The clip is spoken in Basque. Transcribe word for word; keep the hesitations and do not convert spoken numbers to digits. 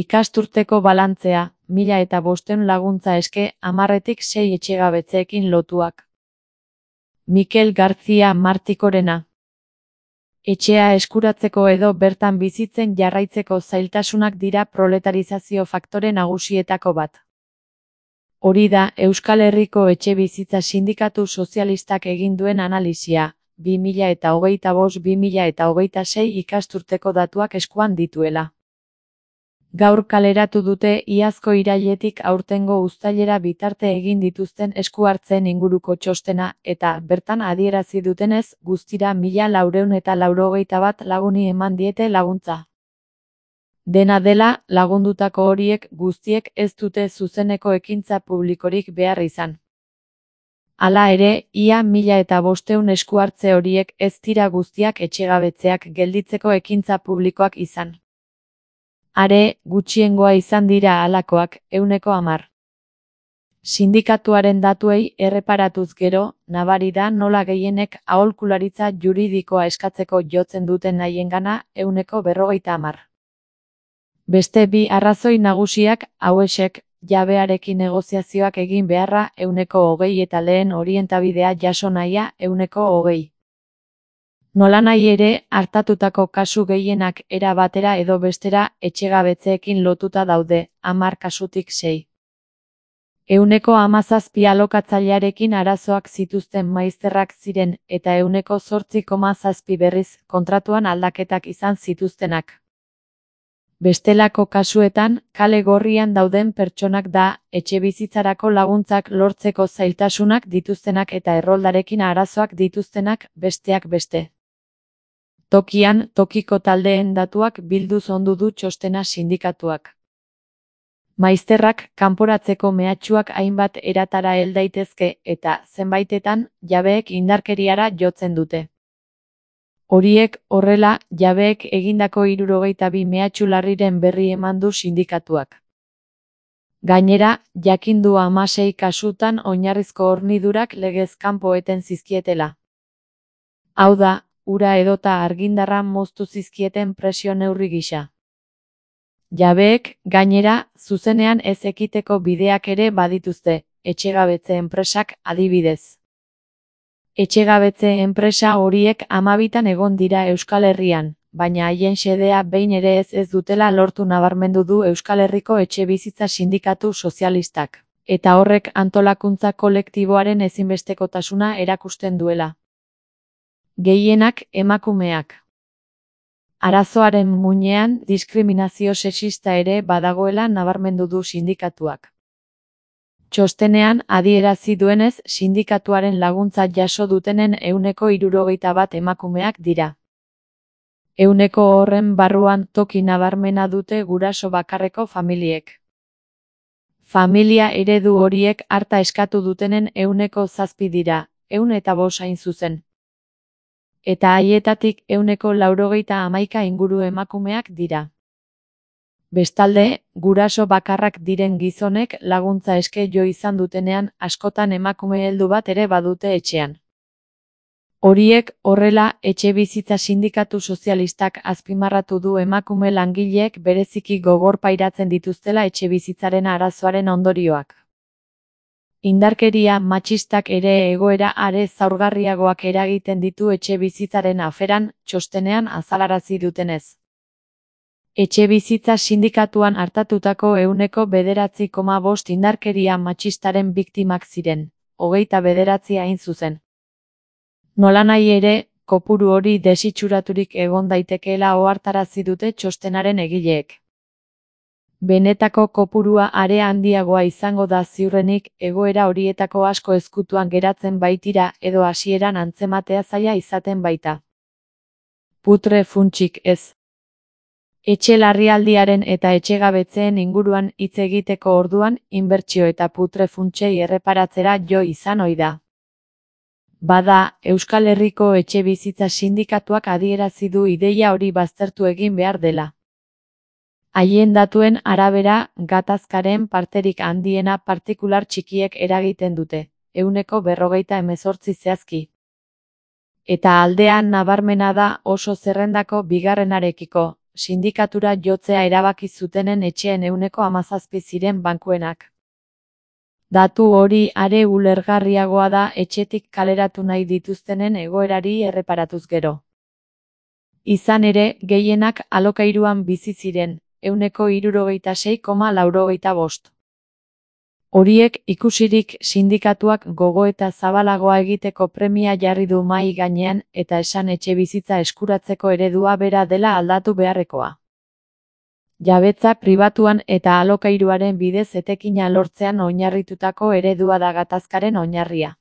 Ikasturteko balantzea, mila eta bostehun laguntza eske, hamarretik sei etxegabetzeekin lotuak. Mikel García Martikorena. Etxea eskuratzeko edo bertan bizitzen jarraitzeko zailtasunak dira proletarizazio faktore nagusietako bat. Hori da Euskal Herriko Etxebizitza Sindikatu Sozialistak egin duen analisia, bi mila eta hogeita bost bi mila eta hogeita sei ikasturteko datuak eskuan dituela. Gaur kaleratu dute iazko irailetik aurtengo uztailera bitarte egin dituzten esku hartzen inguruko txostena, eta bertan adierazi dutenez guztira mila laurehun eta laurogeita bat laguni eman diete laguntza. Dena dela, lagundutako horiek guztiek ez dute zuzeneko ekintza publikorik behar izan. Hala ere, ia mila eta bostehun esku hartze horiek ez dira guztiak etxegabetzeak gelditzeko ekintza publikoak izan. Are, gutxiengoa izan dira halakoak, ehuneko hamar. Sindikatuaren datuei erreparatuz gero, nabari da nola gehienek aholkularitza juridikoa eskatzeko jotzen duten haiengana ehuneko berrogeita hamar. Beste bi arrazoi nagusiak hauexek, jabearekin negoziazioak egin beharra ehuneko hogei eta lehen orientabidea jaso nahia ehuneko hogei. Nolanahi ere, hartatutako kasu gehienak era batera edo bestera etxegabetzeekin lotuta daude, hamar kasutik sei. Ehuneko hamazazpi alokatzailearekin arazoak zituzten maizterrak ziren eta ehuneko zortzi koma zazpi berriz kontratuan aldaketak izan zituztenak. Bestelako kasuetan, kale gorrian dauden pertsonak da, etxebizitzarako laguntzak lortzeko zailtasunak dituztenak eta erroldarekin arazoak dituztenak, besteak beste. Tokian, tokiko taldeen datuak bilduz ondu du txostena sindikatuak. Maizterrak kanporatzeko mehatxuak hainbat eratara hel daitezke eta, zenbaitetan, jabeek indarkeriara jotzen dute. Horiek, horrela, jabeek egindako hirurogeita bi mehatxu larriren berri eman du sindikatuak. Gainera, jakindu hamasei kasutan oinarrizko hornidurak legez kanpo eten zizkietela. Hau da, ura edota argindarra moztu zizkieten presio neurri gisa. Jabeek, gainera, zuzenean ez ekiteko bideak ere badituzte, etxegabetze enpresak adibidez. Etxegabetze enpresa horiek hamabitan egon dira Euskal Herrian, baina haien xedea behin ere ez ez dutela lortu nabarmendu du Euskal Herriko Etxebizitza Sindikatu Sozialistak, eta horrek antolakuntza kolektiboaren ezinbestekotasuna erakusten duela. Gehienak emakumeak. Arazoaren muinean diskriminazio sexista ere badagoela nabarmendu du sindikatuak. Txostenean adierazi duenez sindikatuaren laguntza jaso dutenen ehuneko hirurogeita bat emakumeak dira. Ehuneko horren barruan toki nabarmena dute guraso bakarreko familiek. Familia eredu horiek harta eskatu dutenen ehuneko zazpi dira, ehun eta bost hain zuzen. Eta haietatik ehuneko laurogeita hamaika inguru emakumeak dira. Bestalde, guraso bakarrak diren gizonek laguntza eske jo izan dutenean askotan emakume heldu bat ere badute etxean. Horiek, horrela, Etxebizitza Sindikatu Sozialistak azpimarratu du emakume langileek bereziki gogor pairatzen dituztela etxebizitzaren arazoaren ondorioak. Indarkeria matxistak ere egoera are zaurgarriagoak eragiten ditu etxebizitzaren aferan, txostenean azalarazi dutenez. Etxebizitza sindikatuan hartatutako ehuneko bederatzi koma bost indarkeria matxistaren biktimak ziren, hogeita bederatzi hain zuzen. Nolanahi ere, kopuru hori desitxuraturik egon daitekeela ohartarazi dute txostenaren egileek. Benetako kopurua are handiagoa izango da ziurrenik egoera horietako asko ezkutuan geratzen baitira edo hasieran antzematea zaila izaten baita. Putre funtsik ez. Etxe larrialdiaren eta etxegabetzeen inguruan hitz egiteko orduan, inbertsio eta putre funtsei erreparatzera jo izan ohi da. Bada, Euskal Herriko Etxebizitza Sindikatuak adierazi du ideia hori baztertu egin behar dela. Haien datuen arabera, gatazkaren parterik handiena partikular txikiek eragiten dute, ehuneko berrogeita hemezortzi zehazki. Eta aldean nabarmena da oso zerrendako bigarrenarekiko, sindikatura jotzea erabaki zutenen etxeen ehuneko hamazazpi ziren bankuenak. Datu hori are ulergarriagoa da etxetik kaleratu nahi dituztenen egoerari erreparatuz gero. Izan ere, gehienak alokairuan bizi ziren, ehuneko hirurogeita sei koma laurogeita bost. Horiek ikusirik sindikatuak gogoeta zabalagoa egiteko premia jarri du mahai gainean eta esan etxebizitza eskuratzeko eredua bera dela aldatu beharrekoa. Jabetza pribatuan eta alokairuaren bidez etekina lortzean oinarritutako eredua da gatazkaren oinarria.